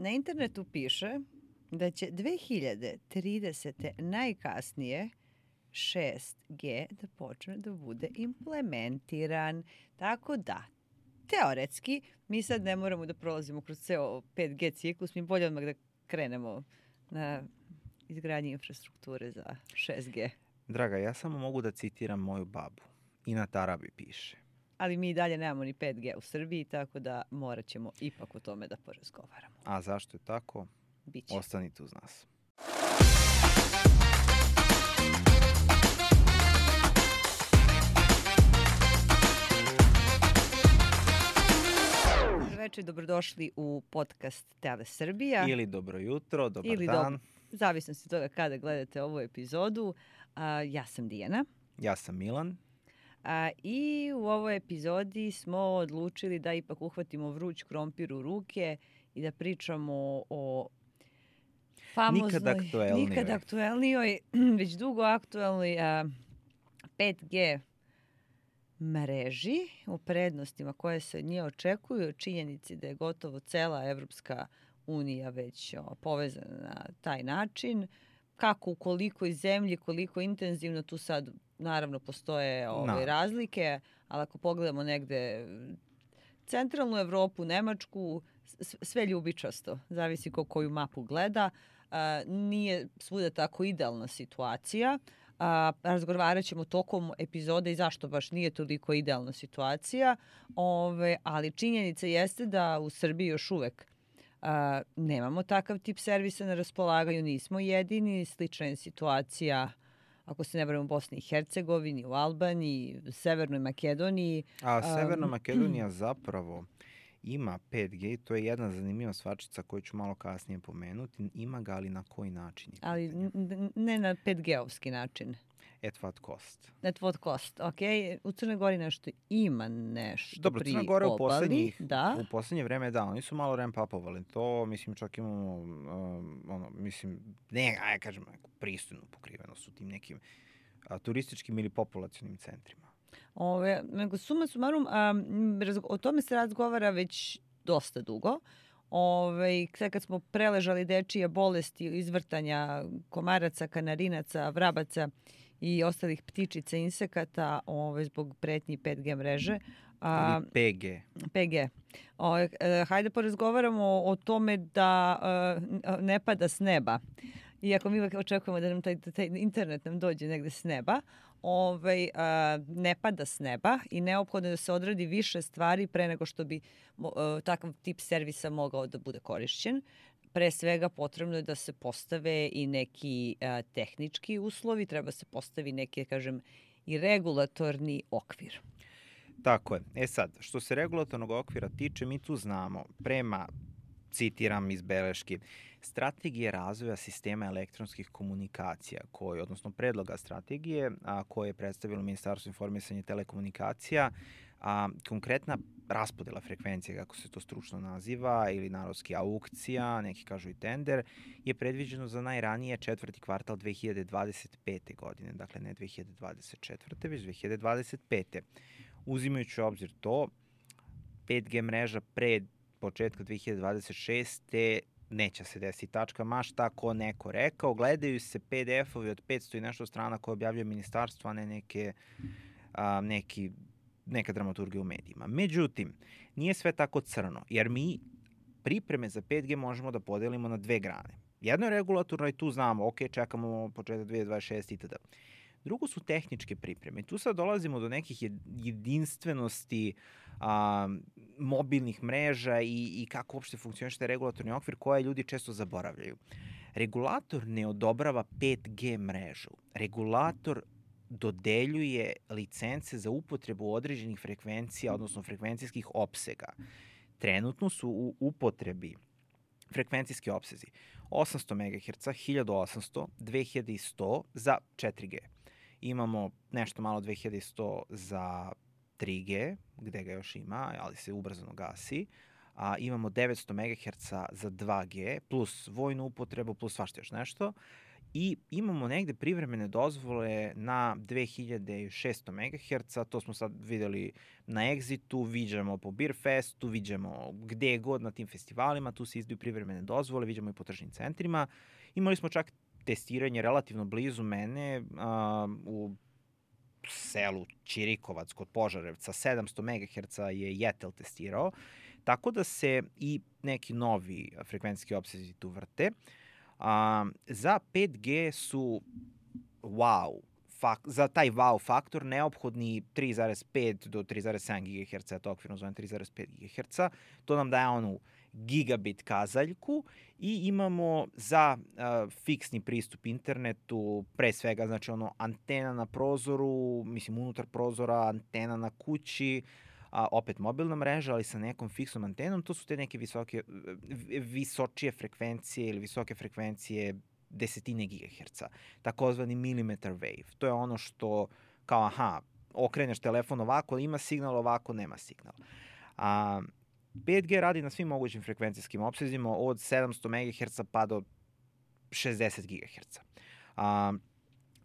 Na internetu piše da će 2030. najkasnije 6G da počne da bude implementiran. Tako da, teoretski, mi sad ne moramo da prolazimo kroz ceo 5G ciklus, mi bolje odmah da krenemo na izgradnji infrastrukture za 6G. Draga, ja samo mogu da citiram moju babu. I na tarabi piše. Ali mi i dalje nemamo ni 5G u Srbiji, tako da morat ćemo ipak o tome da porazgovaramo. A zašto je tako? Biće. Ostanite uz nas. Dobroveče, dobrodošli u podcast Tele Srbija. Ili dobro jutro, dobar dan. Zavisno se toga kada gledate ovu epizodu. Ja sam Dijana. Ja sam Milan. I u ovoj epizodi smo odlučili da ipak uhvatimo vruć krompir u ruke i da pričamo o famoznoj, nikad aktuelnijoj, već dugo aktuelnoj 5G mreži, o prednostima koje se od nje očekuju, o činjenici da je gotovo cela Evropska unija već povezana na taj način. Kako, u kolikoj zemlji, koliko intenzivno, tu sad naravno postoje razlike, ali ako pogledamo negde centralnu Evropu, Nemačku, sve ljubičasto, zavisi koju mapu gleda. Nije svuda tako idealna situacija. Razgovarat ćemo tokom epizode i zašto baš nije toliko idealna situacija, ali činjenica jeste da u Srbiji još uvek nemamo takav tip servisa na raspolaganju, nismo jedini, slična je situacija ako se ne varam u Bosni i Hercegovini, u Albaniji, u Severnoj Makedoniji. A Severna Makedonija zapravo ima 5G, to je jedna zanimljiva stvarčica koju ću malo kasnije pomenuti. Ima ga, ali na koji način? Ali ne na 5G-ovski način. At what cost? At what cost, ok. U Crnoj Gori nešto ima nešto. Dobro, pri Crna Gora u poslednje vreme, da, oni su malo ramp-upovali to, mislim, čak imamo, kažem, pristojnu pokrivenost u tim nekim turističkim ili populacionim centrima. Nego suma sumarum, o tome se razgovara već dosta dugo. Sad kad smo preležali dečije bolesti, izvrtanja komaraca, kanarinaca, vrabaca i ostalih ptičica, insekata zbog pretnji 5G mreže. PG. Hajde porazgovaramo o tome da ne pada s neba. Iako mi uvek očekujemo da nam taj internet nam dođe negde s neba, ne pada s neba i neophodno je da se odradi više stvari pre nego što bi takav tip servisa mogao da bude korišćen. Pre svega potrebno je da se postave i neki tehnički uslovi, treba se postavi neki, kažem, i regulatorni okvir. Tako je. Sad, što se regulatornog okvira tiče, mi tu znamo, prema, citiram iz beleški, strategije razvoja sistema elektronskih komunikacija, odnosno predloga strategije koje je predstavilo Ministarstvo informisanja i telekomunikacija, konkretna raspodela frekvencije, kako se to stručno naziva, ili narodski aukcija, neki kažu i tender, je predviđeno za najranije četvrti kvartal 2025. godine, dakle ne 2024. već 2025. Uzimajući u obzir to, 5G mreža pre početka 2026. neće se desiti tačka, ma šta ko neko rekao, gledaju se PDF-ovi od 500 i nešto strana koje objavljuje ministarstvo, a ne neka dramaturgija u medijima. Međutim, nije sve tako crno, jer mi pripreme za 5G možemo da podelimo na dve grane. Jedno je regulatorno i tu znamo, ok, čekamo početak 2026 itd. Drugo su tehničke pripreme. Tu sad dolazimo do nekih jedinstvenosti mobilnih mreža i kako uopšte funkcioniše taj regulatorni okvir koje ljudi često zaboravljaju. Regulator ne odobrava 5G mrežu. Regulator dodeljuje licence za upotrebu određenih frekvencija, odnosno frekvencijskih opsega. Trenutno su u upotrebi frekvencijski opsezi 800 MHz, 1800, 2100 za 4G. Imamo nešto malo 2100 za 3G, gde ga još ima, ali se ubrzano gasi. Imamo 900 MHz za 2G, plus vojnu upotrebu, plus svašta još nešto. i imamo negde privremene dozvole na 2600 MHz, to smo sad videli na Exitu, viđamo po Beer Festu, viđamo gde god na tim festivalima, tu se izdaju privremene dozvole, viđamo i po tržnim centrima. Imali smo čak testiranje relativno blizu mene u selu Ćirikovac kod Požarevca, 700 MHz je Jetel testirao, tako da se i neki novi frekvencijski opsezi tu vrte. Za 5G su za taj wow faktor neophodni 3,5 do 3,7 GHz, to okvirno zovem 3,5 GHz. To nam daje onu gigabit kazaljku i imamo za fiksni pristup internetu, pre svega znači ono antena na prozoru, mislim unutar prozora, antena na kući, opet mobilna mreža, ali sa nekom fiksnom antenom, to su te neke visočije frekvencije ili visoke frekvencije desetine gigaherca, takozvani millimeter wave. To je ono što kao, okreneš telefon ovako, ima signal, ovako nema signal. 5G radi na svim mogućim frekvencijskim opsezima od 700 MHz pa do 60 GHz.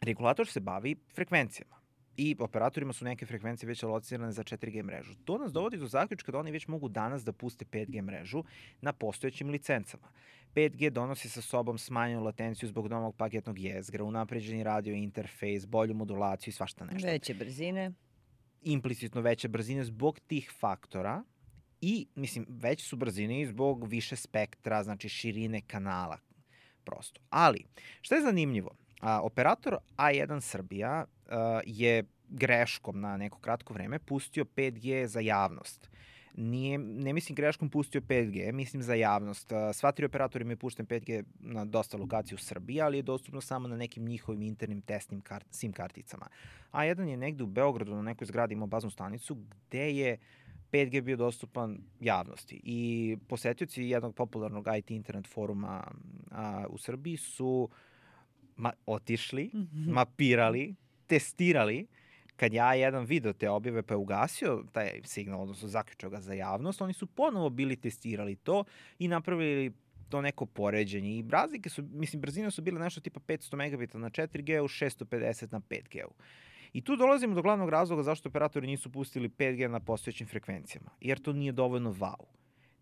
Regulator se bavi frekvencijama i operatorima su neke frekvencije već alocirane za 4G mrežu. To nas dovodi do zaključka da oni već mogu danas da puste 5G mrežu na postojećim licencama. 5G donosi sa sobom smanjenu latenciju zbog novog paketnog jezgra, unapređeni radio interfejs, bolju modulaciju i svašta nešto. Veće brzine. Implicitno veće brzine zbog tih faktora i, mislim, veće su brzine i zbog više spektra, znači širine kanala prosto. Ali, šta je zanimljivo? Operator A1 Srbija je greškom na neko kratko vreme pustio 5G za javnost. Ne mislim greškom pustio 5G, mislim za javnost. Sva 3 operatora imaju pušten 5G na dosta lokacija u Srbiji, ali je dostupno samo na nekim njihovim internim testnim SIM karticama. A1 je negde u Beogradu na nekoj zgradi imao baznu stanicu gde je 5G bio dostupan javnosti. I posetioci jednog popularnog IT internet foruma u Srbiji su otišli, mapirali, testirali. Kad ja jedan video te objave pa je ugasio taj signal, odnosno zaključao ga za javnost, oni su ponovo bili testirali to i napravili to neko poređenje. I razlike su, mislim, brzine su bile nešto tipa 500 megabita na 4G-u, 650 na 5G-u. I tu dolazimo do glavnog razloga zašto operatori nisu pustili 5G na postojećim frekvencijama. Jer to nije dovoljno wow.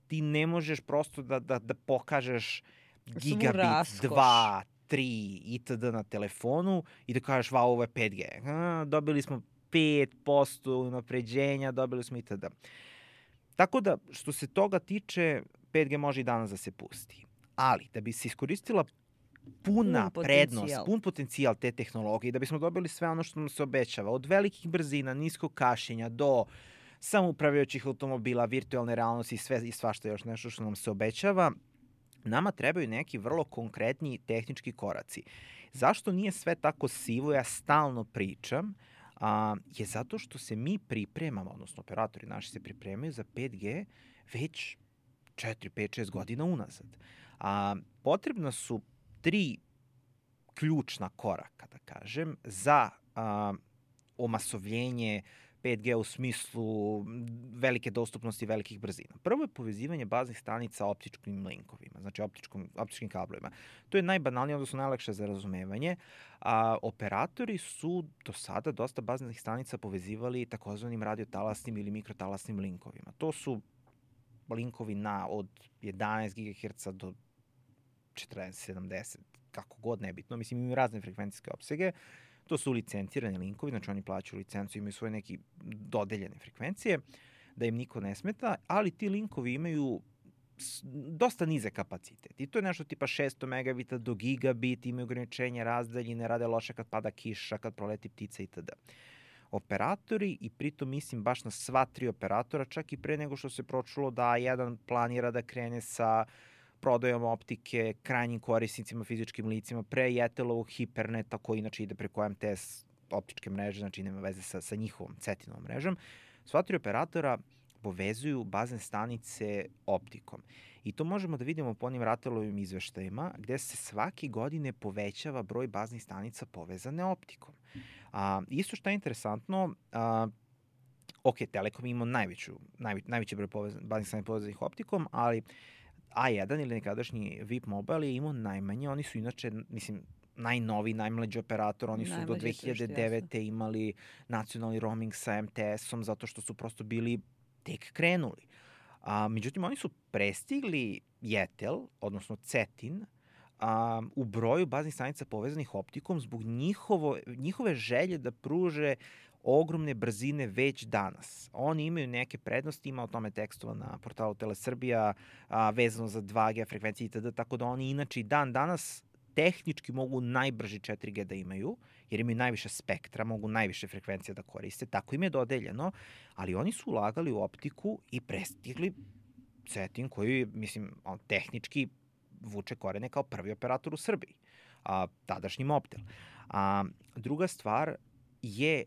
Ti ne možeš prosto da pokažeš gigabit, 2, 3 itd. Na telefonu i da kažeš, wow, ovo je 5G. Dobili smo 5% unapređenja, dobili smo itd. Tako da, što se toga tiče, 5G može i danas da se pusti. Ali, da bi se iskoristila puna prednost, pun potencijal te tehnologije, da bismo dobili sve ono što nam se obećava, od velikih brzina, niskog kašenja, do samoupravljajućih automobila, virtualne realnosti i sve i svašta još nešto što nam se obećava, nama trebaju neki vrlo konkretni tehnički koraci. Zašto nije sve tako sivo, ja stalno pričam, je zato što se mi pripremamo, odnosno operatori naši se pripremaju za 5G već 4, 5, 6 godina unazad. Potrebna su 3 ključna koraka, da kažem, za omasovljenje 5G u smislu velike dostupnosti velikih brzina. Prvo je povezivanje baznih stanica optičkim linkovima, znači optičkim kablovima. To je najbanalnije, odnosno najlakše za razumevanje. Operatori su do sada dosta baznih stanica povezivali takozvanim radiotalasnim ili mikrotalasnim linkovima. To su linkovi od 11 GHz do 40, 70, kako god nebitno. Mislim, imaju razne frekvencijske opsege. To su licencirani linkovi, znači oni plaćaju licencu, imaju svoje neke dodeljene frekvencije, da im niko ne smeta, ali ti linkovi imaju dosta nize kapacitet. I to je nešto tipa 600 megabita do gigabit, imaju ograničenja razdaljine, rade loše kad pada kiša, kad proleti ptica itd. Operatori, i pritom mislim baš na sva 3 operatora, čak i pre nego što se pročulo da jedan planira da krene sa prodajom optike krajnjim korisnicima, fizičkim licima, pre Jetelovog Hiperneta, koji inače ide preko MTS optičke mreže, znači nema veze sa njihovom Cetinovom mrežom. Sva 3 operatora povezuju bazne stanice optikom. I to možemo da vidimo po onim Ratelovim izveštajima, gde se svake godine povećava broj baznih stanica povezane optikom. Isto što je interesantno, Telekom ima najveći broj baznih stanica povezanih optikom, ali A1 ili nekadašnji VIP Mobile je imao najmanje, oni su inače, mislim, najnoviji, najmlađi operator, oni su do 2009. imali nacionalni roaming sa MTS-om zato što su prosto bili tek krenuli. Međutim, oni su prestigli Jetel, odnosno Cetin, u broju baznih stanica povezanih optikom zbog njihove želje da pruže ogromne brzine već danas. Oni imaju neke prednosti, ima o tome tekstova na portalu Telesrbija, vezano za 2G frekvencije itd., tako da oni inače i danas tehnički mogu najbrži 4G da imaju, jer imaju najviše spektra, mogu najviše frekvencije da koriste, tako im je dodeljeno, ali oni su ulagali u optiku i prestigli Cetin koji, mislim, tehnički vuče korene kao prvi operator u Srbiji, tadašnji Mobtel. Druga stvar je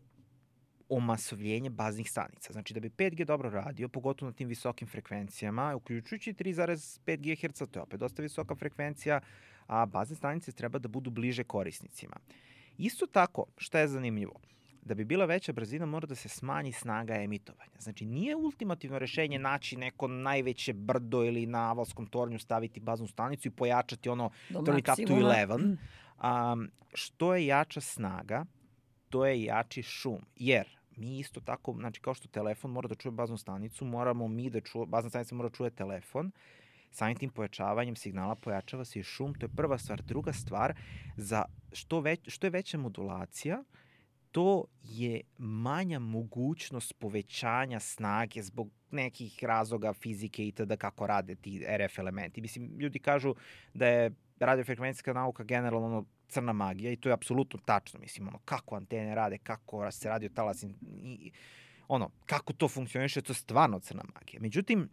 omasovljenje baznih stanica. Znači, da bi 5G dobro radio, pogotovo na tim visokim frekvencijama, uključujući 3,5 GHz, to je opet dosta visoka frekvencija, a bazne stanice treba da budu bliže korisnicima. Isto tako, šta je zanimljivo? Da bi bila veća brzina, mora da se smanji snaga emitovanja. Znači, nije ultimativno rešenje naći neko najveće brdo ili na Avalskom tornju staviti baznu stanicu i pojačati ono turn it up to 11. Što je jača snaga, to je jači šum. Jer mi isto tako, znači kao što telefon mora da čuje baznu stanicu, moramo mi da čuje, bazna stanica mora da čuje telefon, samim tim pojačavanjem signala pojačava se i šum, to je prva stvar. Druga stvar, za što je veća modulacija, to je manja mogućnost povećanja snage zbog nekih razloga fizike i tada kako rade ti RF elementi. Mislim, ljudi kažu da je radiofrekvencijska nauka generalno crna magija i to je apsolutno tačno. Mislim, kako antene rade, kako se radio talas i kako to funkcioniše, to je stvarno crna magija. Međutim,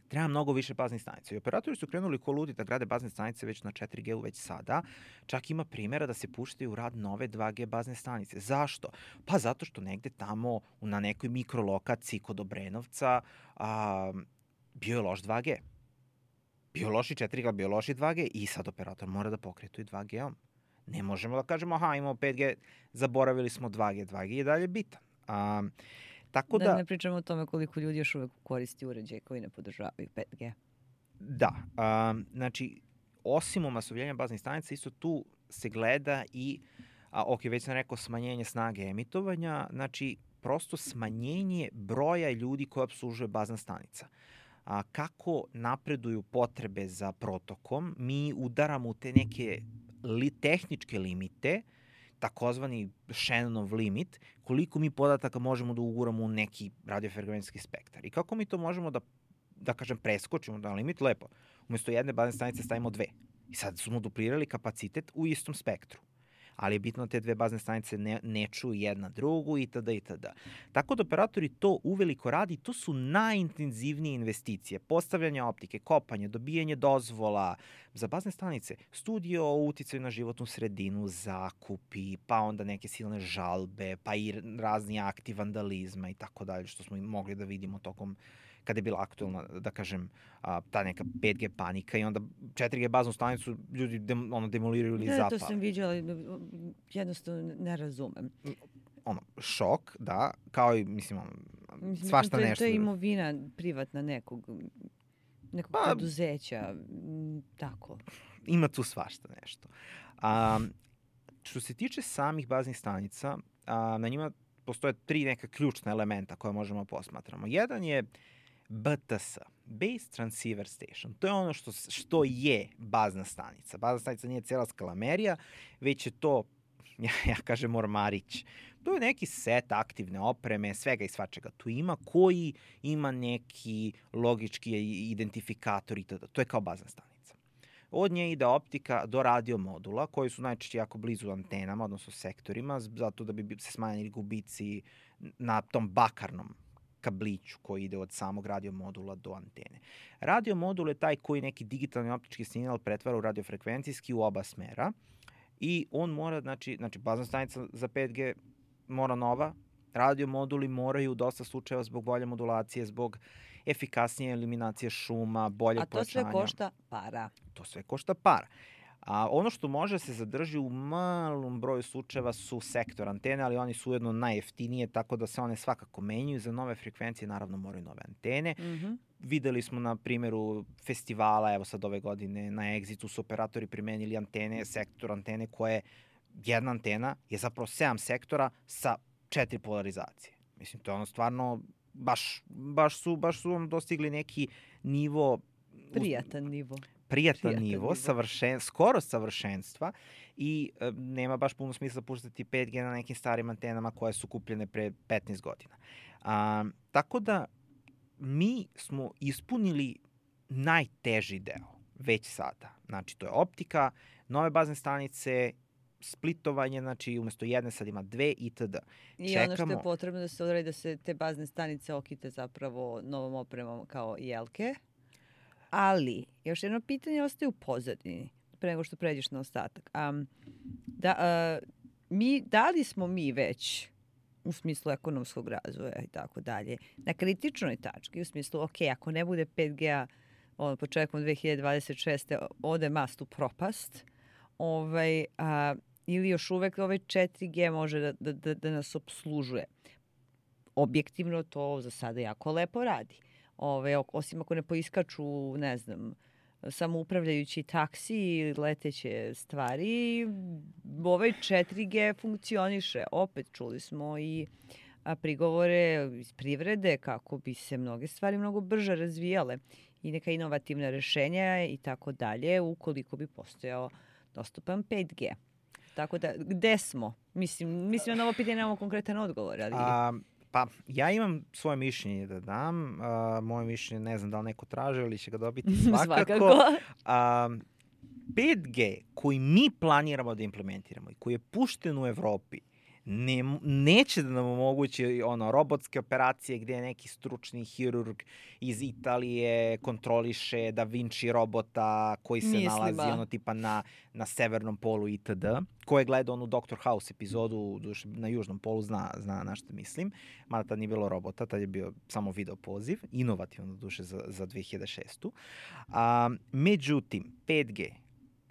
treba mnogo više baznih stanica. I operatori su krenuli ko ludi da grade bazne stanice već na 4G već sada. Čak ima primjera da se puštaju u rad nove 2G bazne stanice. Zašto? Pa zato što negde tamo na nekoj mikrolokaciji kod Obrenovca bio je loš 2G. Bio je loš i 4G, bio je loš i 2G i sad operator mora da pokrije to i 2G-om. Ne možemo da kažemo, imamo 5G, zaboravili smo 2G. 2G je dalje bitan. Tako da ne pričamo o tome koliko ljudi još uvek koristi uređaje koji ne podržavaju 5G. Da, znači, osim omasovljenja baznih stanica, isto tu se gleda i, već sam rekao, smanjenje snage emitovanja, znači, prosto smanjenje broja ljudi koje obslužuje bazna stanica. Kako napreduju potrebe za protokom, mi udaramo u te neke tehničke limite, takozvani Shannonov limit, koliko mi podataka možemo da uguramo u neki radiofrekvencijski spektar. I kako mi to možemo da kažem, preskočimo na limit, lepo. Umesto jedne bazne stanice stavimo 2. I sad smo duplirali kapacitet u istom spektru. Ali je bitno da te 2 bazne stanice ne čuju jedna drugu itd. Tako da operatori to uveliko radi, to su najintenzivnije investicije. Postavljanje optike, kopanje, dobijanje dozvola za bazne stanice, studije o uticaju na životnu sredinu, zakupi, pa onda neke silne žalbe, pa i razni akti vandalizma i tako dalje, što smo mogli da vidimo tokom kada je bila aktualna, da kažem, ta neka 5G panika i onda 4G baznu stanicu ljudi demoliraju ili zapale. Da, to sam viđala, jednostavno ne razumem. Šok, da, kao i, mislim, svašta nešto. To je imovina privatna nekog preduzeća, tako. Ima tu svašta nešto. Što se tiče samih baznih stanica, na njima postoje 3 neka ključna elementa koje možemo posmatramo. Jedan je BTS, Base Transceiver Station. To je ono što je bazna stanica. Bazna stanica nije cijela skalamerija, već je to, ja kažem, ormarić. To je neki set aktivne opreme, svega i svačega tu ima, koji ima neki logički identifikator i tada. To je kao bazna stanica. Od nje ide optika do radio modula, koji su najčešće jako blizu antenama, odnosno sektorima, zato da bi se smanjili gubici na tom bakarnom kabliću koji ide od samog radio modula do antene. Radio modul je taj koji neki digitalni optički signal pretvara u radiofrekvencijski u oba smera i on mora, znači bazna stanica za 5G mora nova, radio moduli moraju u dosta slučajeva zbog bolje modulacije, zbog efikasnije eliminacije šuma, bolje pojačanja. A to sve košta para. To sve košta para. A ono što može se zadrži u malom broju slučajeva su sektor antene, ali oni su ujedno najjeftinije, tako da se one svakako menjaju. Za nove frekvencije naravno moraju nove antene. videli smo na primjeru festivala, evo sad ove godine na Exitu su operatori primenili antene, sektor antene koje, jedna antena je zapravo 7 sektora sa 4 polarizacije. Mislim, to je ono stvarno, baš su vam dostigli neki nivo... Prijatan nivo. Prijatan nivo. Skoro savršenstva i nema baš puno smisla puštati 5G na nekim starim antenama koje su kupljene pre 15 godina. Tako da mi smo ispunili najteži deo već sada. Znači, to je optika, nove bazne stanice, splitovanje, znači umesto jedne sad ima 2 itd. I ono što je potrebno da se odradi da se te bazne stanice okite zapravo novom opremom kao jelke. Ali, još jedno pitanje ostaje u pozadini, pre nego što pređeš na ostatak. Da li smo mi već, u smislu ekonomskog razvoja i tako dalje, na kritičnoj tački, u smislu, ok, ako ne bude 5G-a početkom 2026. ode mast u propast, ili još uvek 4G može da nas obslužuje. Objektivno to za sada jako lepo radi. Osim ako ne poiskaču, ne znam, samoupravljajući taksi ili leteće stvari, 4G funkcioniše. Opet čuli smo i prigovore iz privrede kako bi se mnoge stvari mnogo brže razvijale i neka inovativna rešenja i tako dalje, ukoliko bi postojao dostupan 5G. Tako da, gde smo? Mislim na ovo pitanje nemamo konkretan odgovor, ali... Pa, ja imam svoje mišljenje da dam. Moje mišljenje ne znam da li neko traže ili će ga dobiti svakako. 5G koji mi planiramo da implementiramo i koji je pušten u Evropi neće da nam omogući robotske operacije gde neki stručni hirurg iz Italije kontroliše Da Vinci robota koji se nalazi tipa na severnom polu itd. Ko je gledao onu Dr. House epizodu na južnom polu zna na što mislim. Mada tad nije bilo robota, tad je bio samo video poziv. Inovativno duše za 2006. Međutim, 5G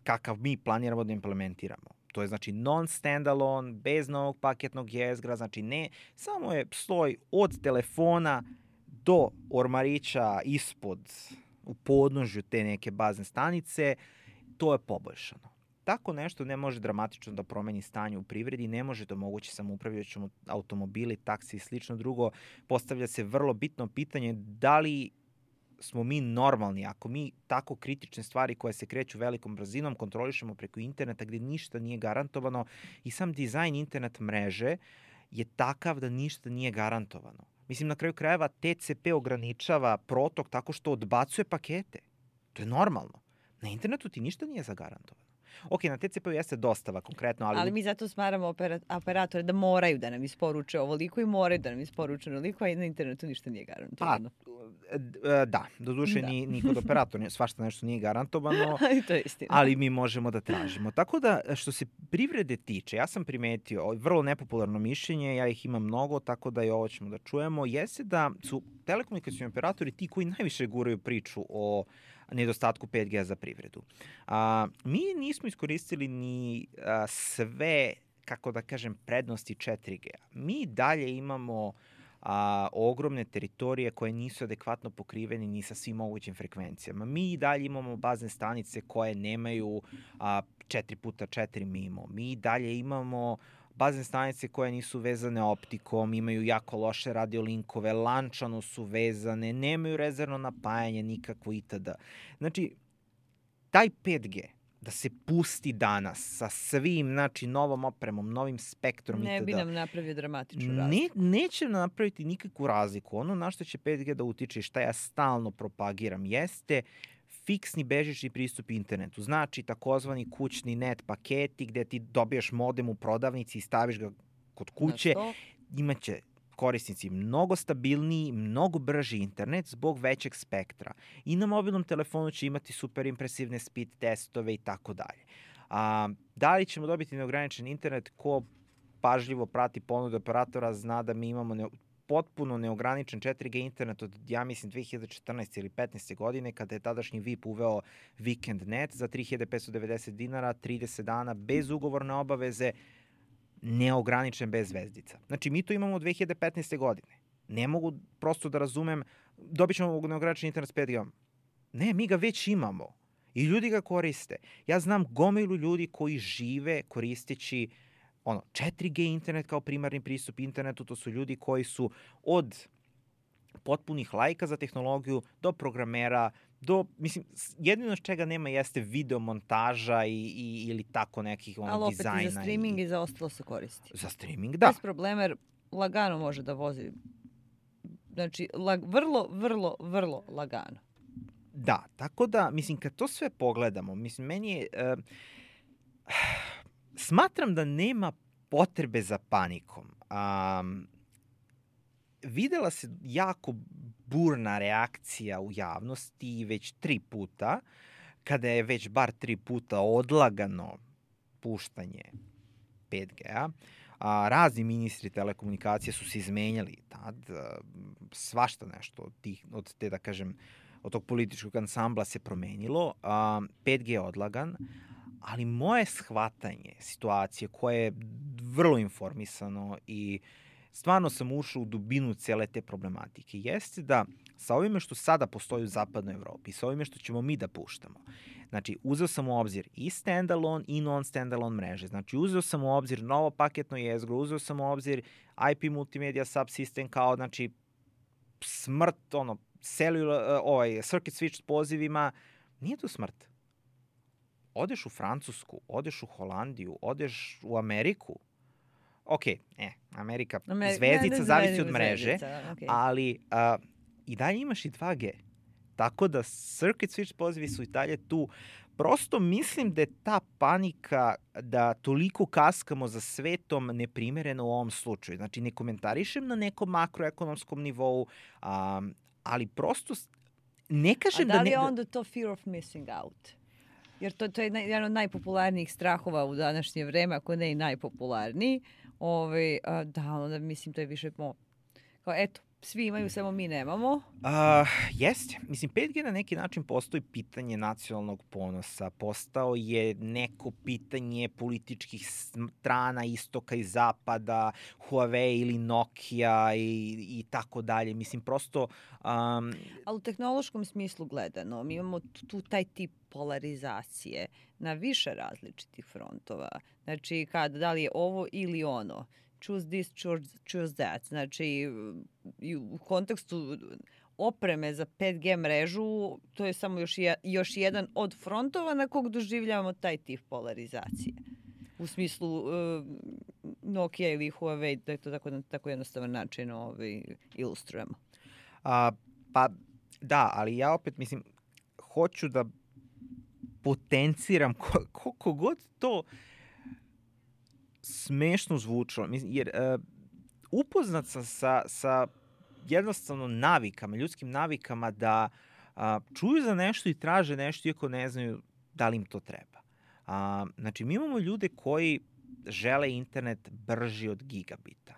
kakav mi planiramo da implementiramo, to je znači non-standalone, bez novog paketnog jezgra, znači ne, samo je sloj od telefona do ormarića ispod, u podnožju te neke bazne stanice, to je poboljšano. Tako nešto ne može dramatično da promeni stanje u privredi, ne može da omogući samoupravljajući automobili, taksi i slično. Drugo, postavlja se vrlo bitno pitanje da li smo mi normalni ako mi tako kritične stvari koje se kreću velikom brzinom kontrolišemo preko interneta gdje ništa nije garantovano i sam dizajn internet mreže je takav da ništa nije garantovano. Mislim, na kraju krajeva TCP ograničava protok tako što odbacuje pakete. To je normalno. Na internetu ti ništa nije zagarantovano. Ok, na TCP-u jeste dostava konkretno, ali mi zato smaramo operatore da moraju da nam isporuče ovoliko i moraju da nam isporuče ovoliko, a na internetu ništa nije garantovano. Da, doduše ni kod operatora svašta nešto nije garantovano, to je istina. Ali mi možemo da tražimo. Tako da, što se privrede tiče, ja sam primetio vrlo nepopularno mišljenje, ja ih imam mnogo, tako da i ovo ćemo da čujemo, jeste da su telekomunikacioni operatori ti koji najviše guraju priču o nedostatku 5G za privredu. Mi nismo iskoristili ni sve, kako da kažem, prednosti 4G. Mi dalje imamo ogromne teritorije koje nisu adekvatno pokrivene ni sa svim mogućim frekvencijama. Mi dalje imamo bazne stanice koje nemaju 4x4 MIMO. Mi dalje imamo bazne stanice koje nisu vezane optikom, imaju jako loše radiolinkove, lančano su vezane, nemaju rezervno napajanje nikakvo itd. Znači, taj 5G da se pusti danas sa svim, znači, novom opremom, novim spektrom ne bi nam napravio dramatičnu razliku. Neće napraviti nikakvu razliku. Ono na što će 5G da utiče i šta ja stalno propagiram jeste fiksni bežični pristup internetu. Znači, takozvani kućni net paketi gde ti dobiješ modem u prodavnici i staviš ga kod kuće. Imaće korisnici mnogo stabilniji, mnogo brži internet zbog većeg spektra. I na mobilnom telefonu će imati super impresivne speed testove i tako dalje. Da li ćemo dobiti neograničen internet? Ko pažljivo prati ponude operatora zna da mi imamo potpuno neograničen 4G internet od, ja mislim, 2014. ili 15. godine, kada je tadašnji VIP uveo Weekend Net za 3590 dinara, 30 dana, bez ugovorne obaveze, neograničen bez zvezdica. Znači, mi to imamo od 2015. godine. Ne mogu prosto da razumem dobit ćemo neograničen internet s 5G. Ne, mi ga već imamo i ljudi ga koriste. Ja znam gomilu ljudi koji žive koristeći 4G internet kao primarni pristup internetu. To su ljudi koji su od potpunih lajka za tehnologiju do programera, jedino čega nema jeste videomontaža ili tako nekih dizajna. Ali opet i za streaming i za ostalo se koristi. Za streaming, da. Bez problema, jer lagano može da vozi. Znači, vrlo, vrlo, vrlo lagano. Da, tako da, kad to sve pogledamo, meni je... smatram da nema potrebe za panikom. Videla se jako burna reakcija u javnosti već 3 puta, kada je već bar 3 puta odlagano puštanje 5G-a. Razni ministri telekomunikacije su se izmenjali tad, svašta nešto od tog političkog ansambla se promenilo. 5G je odlagan, ali moje shvatanje situacije koje je vrlo informisano i stvarno sam ušao u dubinu cele te problematike, jeste da sa ovime što sada postoji u zapadnoj Evropi, sa ovime što ćemo mi da puštamo, znači uzeo sam u obzir i standalone i non-standalone mreže, znači uzeo sam u obzir novo paketno jezgro, uzeo sam u obzir IP multimedia subsystem kao, znači, smrt, circuit switch s pozivima, nije to smrt. Odeš u Francusku, odeš u Holandiju, odeš u Ameriku, Amerika zvezdica zavisi od mreže, ali i dalje imaš i 2G. Tako da circuit switch pozivi su i dalje tu. Prosto mislim da je ta panika da toliko kaskamo za svetom neprimereno u ovom slučaju. Znači, ne komentarišem na nekom makroekonomskom nivou, ali prosto ne kažem da... A da li je onda to fear of missing out? Jer to je jedan od najpopularnijih strahova u današnje vreme, ako ne i najpopularniji. Onda mislim to je više kao eto, svi imaju, samo mi nemamo. Jeste. 5G na neki način postoji pitanje nacionalnog ponosa. Postao je neko pitanje političkih strana, istoka i zapada, Huawei ili Nokia i tako dalje. Prosto... Ali u tehnološkom smislu gledano, mi imamo tu taj tip polarizacije na više različitih frontova. Znači, da li je ovo ili ono. Choose this, choose that. Znači, u kontekstu opreme za 5G mrežu, to je samo još jedan od frontova na kog doživljavamo taj tip polarizacije. U smislu Nokia ili Huawei, da je to tako jednostavan način ilustrujemo. Pa da, ali ja opet hoću da potenciram koliko god to smešno zvučalo, jer upoznat sam sa jednostavno navikama, ljudskim navikama da čuju za nešto i traže nešto iako ne znaju da li im to treba. Znači, mi imamo ljude koji žele internet brži od gigabita.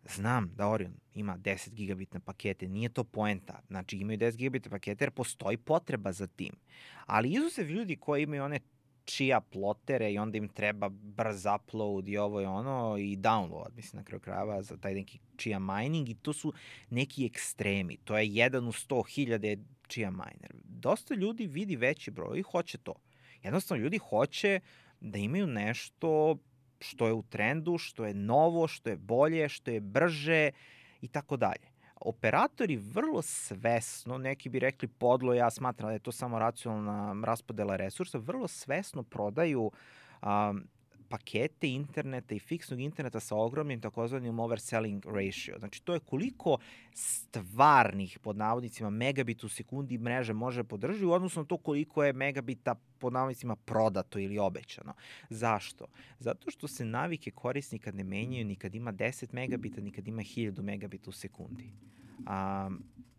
Znam da Orion ima 10 gigabitne pakete, nije to poenta. Znači, imaju 10 gigabitne pakete jer postoji potreba za tim. Ali izuzev ljudi koji imaju one čija plotere i onda im treba brz upload i ovo i ono i download, na kraju krajeva za taj neki čija mining i to su neki ekstremi. To je 1 u 100.000 čija miner. Dosta ljudi vidi veći broj i hoće to. Jednostavno, ljudi hoće da imaju nešto što je u trendu, što je novo, što je bolje, što je brže i tako dalje. Operatori vrlo svesno, neki bi rekli podlo, ja smatram da je to samo racionalna raspodela resursa, vrlo svesno prodaju pakete interneta i fiksnog interneta sa ogromnim takozvanim overselling ratio. Znači, to je koliko stvarnih, pod navodnicima, megabita u sekundi mreže može podržati u odnosu na to koliko je megabita, pod navodnicima, prodato ili obećano. Zašto? Zato što se navike korisnika ne menjaju ni kad ima 10 megabita, ni kad ima 1000 megabita u sekundi.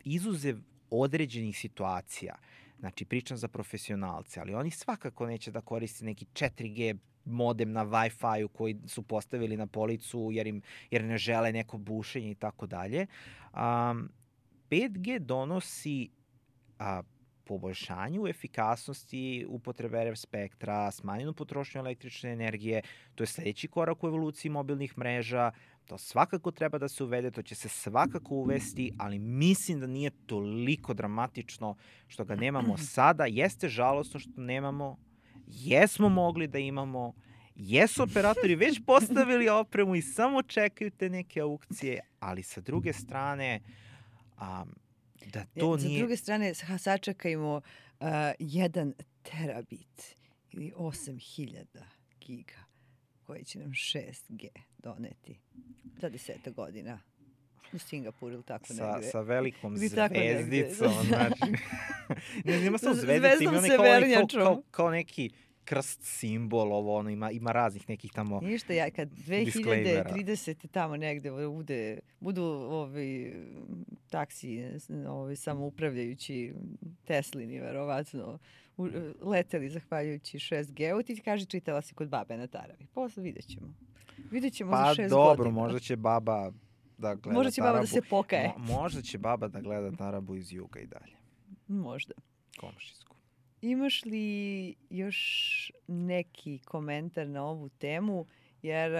Izuzev određenih situacija, znači pričam za profesionalce, ali oni svakako neće da koriste neki 4G modem na Wi-Fi-u koji su postavili na policu jer ne žele neko bušenje i tako dalje. 5G donosi poboljšanju efikasnosti upotrebe RF spektra, smanjenu potrošnju električne energije, to je sledeći korak u evoluciji mobilnih mreža, to svakako treba da se uvede, to će se svakako uvesti, ali mislim da nije toliko dramatično što ga nemamo sada. Jeste žalostno što nemamo, jesmo mogli da imamo, jesu operatori već postavili opremu i samo čekaju te neke aukcije, ali sa druge strane, da to nije... Sa druge strane, sačekajmo 1 terabit ili 8000 giga koji će nam 6G doneti za 10 godina u Singapuru ili tako negde. Sa velikom zvezdicom, znači... Nema samo zvezdice, ima kao neki krst simbol, ovo, ima raznih nekih tamo ništa, kad 2030 tamo negde budu taksi samoupravljajući Teslini, verovatno, leteli zahvaljujući 6G-u, ti kaži čitala si kod babe na taravi. Posle vidjet ćemo. Vidjet ćemo za 6 godina. Pa dobro, možda će baba da gleda možda će tarabu. Baba da se pokaje. Možda će baba da gleda tarabu iz juga i dalje. Možda. Komšijsku. Imaš li još neki komentar na ovu temu? Jer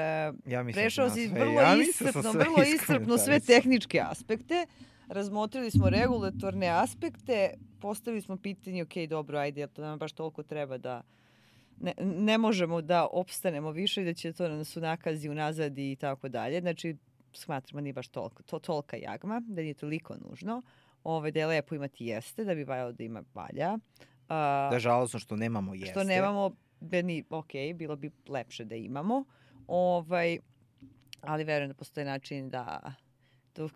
prešao si vrlo iscrpno sve tehničke aspekte. Razmotrili smo regulatorne aspekte, postavili smo pitanje, ok, dobro, ajde, jer to nam baš toliko treba da ne možemo da opstanemo više i da će to nas unakazi, unazadi i tako dalje. Znači, smatramo nije baš tolika jagma, da nije toliko nužno. Da je lepo imati jeste, da bi valjalo da ima valja. Da je žalostno što nemamo jeste. Što nemamo, ok, bilo bi lepše da imamo. Ali verujem da postoji način da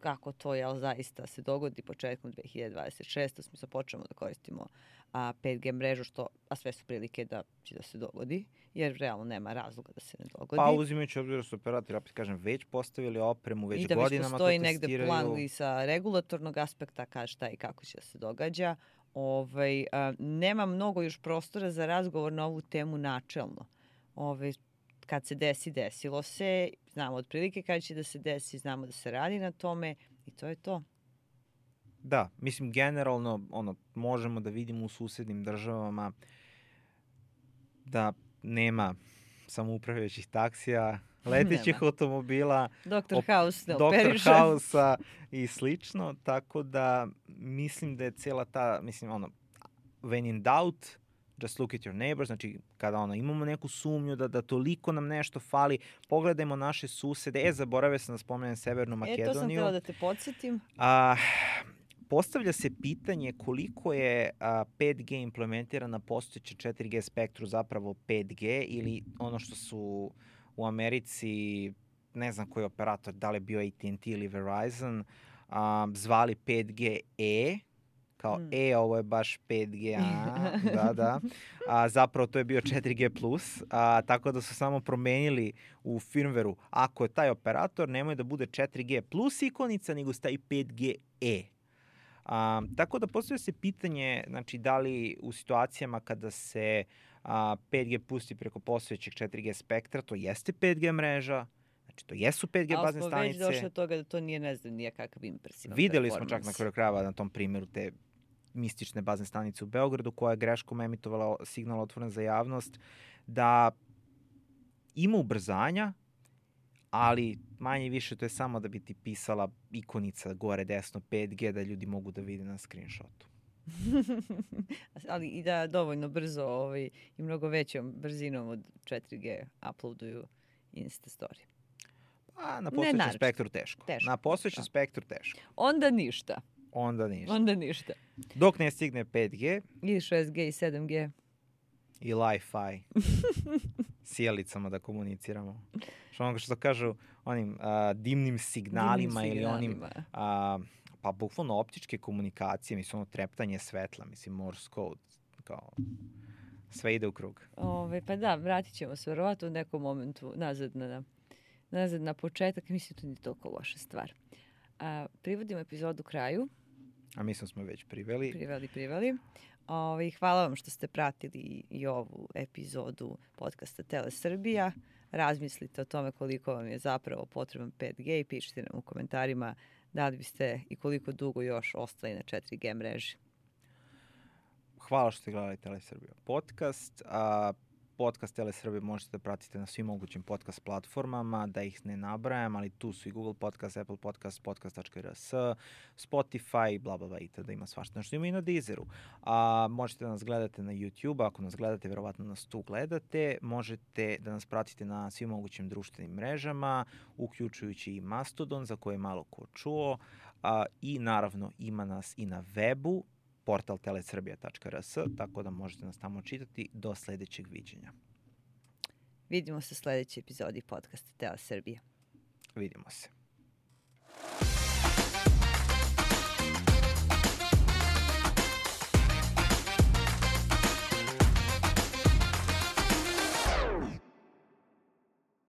kako to zaista se dogodi početkom 2026. Smisla počnemo da koristimo 5G mrežu, a sve su prilike da će da se dogodi, jer realno nema razloga da se ne dogodi. Pa uzimajući obzir da su operatori, opet kažem, već postavili opremu, već godinama to testiraju. I da već postoji negde plan i sa regulatornog aspekta kada šta i kako će da se događa. Nema mnogo još prostora za razgovor na ovu temu načelno. Kad se desi, desilo se, znamo otprilike kada će da se desi, znamo da se radi na tome i to je to. Da, mislim generalno možemo da vidimo u susednim državama da nema samoupravljajućih taksija, letećih automobila, Dr. House ne operiše. Dr. House-a i slično, tako da mislim da je cijela ta, when in doubt, just look at your neighbors, znači kada imamo neku sumnju da toliko nam nešto fali, pogledajmo naše susede, zaboravio sam da spomenem Severnu Makedoniju. To sam htjela da te podsjetim. Postavlja se pitanje koliko je 5G implementiran na postojeće 4G spektru zapravo 5G ili ono što su u Americi, ne znam koji operator, da li je bio AT&T ili Verizon, zvali 5G-E, kao ovo je baš 5G, da. Zapravo to je bio 4G+, tako da su samo promenili u firmwareu, ako je taj operator, nemoj da bude 4G+ ikonica, nego stavi 5G-E. Tako da postavlja se pitanje, znači, da li u situacijama kada se 5G pusti preko postojećeg 4G spektra, to jeste 5G mreža, znači to jesu 5G bazne stanice. Ali smo već došli od toga da to nije, ne znam, nijakav impresivan Videli smo čak na kraju krajeva na tom primjeru te mistične bazne stanice u Beogradu koja je greškom emitovala signal otvoren za javnost, da ima ubrzanja, ali manje više to je samo da bi ti pisala ikonica gore desno 5G da ljudi mogu da vide na screenshotu. Ali i da dovoljno brzo i mnogo većom brzinom od 4G uploaduju Insta story. Pa na postojećem spektru teško. Na postojećem spektru teško. Onda ništa. Onda ništa. Dok ne stigne 5G. I 6G i 7G. I Li-Fi. Sjelicama da komuniciramo. Što kažu onim dimnim signalima ili onim pa bukvalno optičke komunikacije, mislim treptanje svetla, mislim Morse code, kao sve ide u krug. Pa da, vratit ćemo se verovatno u nekom momentu nazad na početak, mislim to nije toliko loša stvar. Privodimo epizodu kraju. A mislim smo već priveli. Priveli. Hvala vam što ste pratili i ovu epizodu podcasta Tele Srbija. Razmislite o tome koliko vam je zapravo potreban 5G i pišite nam u komentarima. Da li biste i koliko dugo još ostali na 4G mreži? hvala što ste gledali Telesrbija podcast. Podcast Telesrbije možete da pratite na svim mogućim podcast platformama, da ih ne nabrajam, ali tu su i Google Podcast, Apple Podcast, podcast.rs, Spotify, bla, bla, bla, itd. Ima svašta. Nešto ima i na Deezeru. Možete da nas gledate na YouTube, ako nas gledate, verovatno nas tu gledate. Možete da nas pratite na svim mogućim društvenim mrežama, uključujući i Mastodon, za koje je malo ko čuo. I naravno ima nas i na webu, portal telesrbija.rs, tako da možete nas tamo čitati. Do sledećeg viđenja. Vidimo se u sledećoj epizodi podcasta Telesrbija. Vidimo se.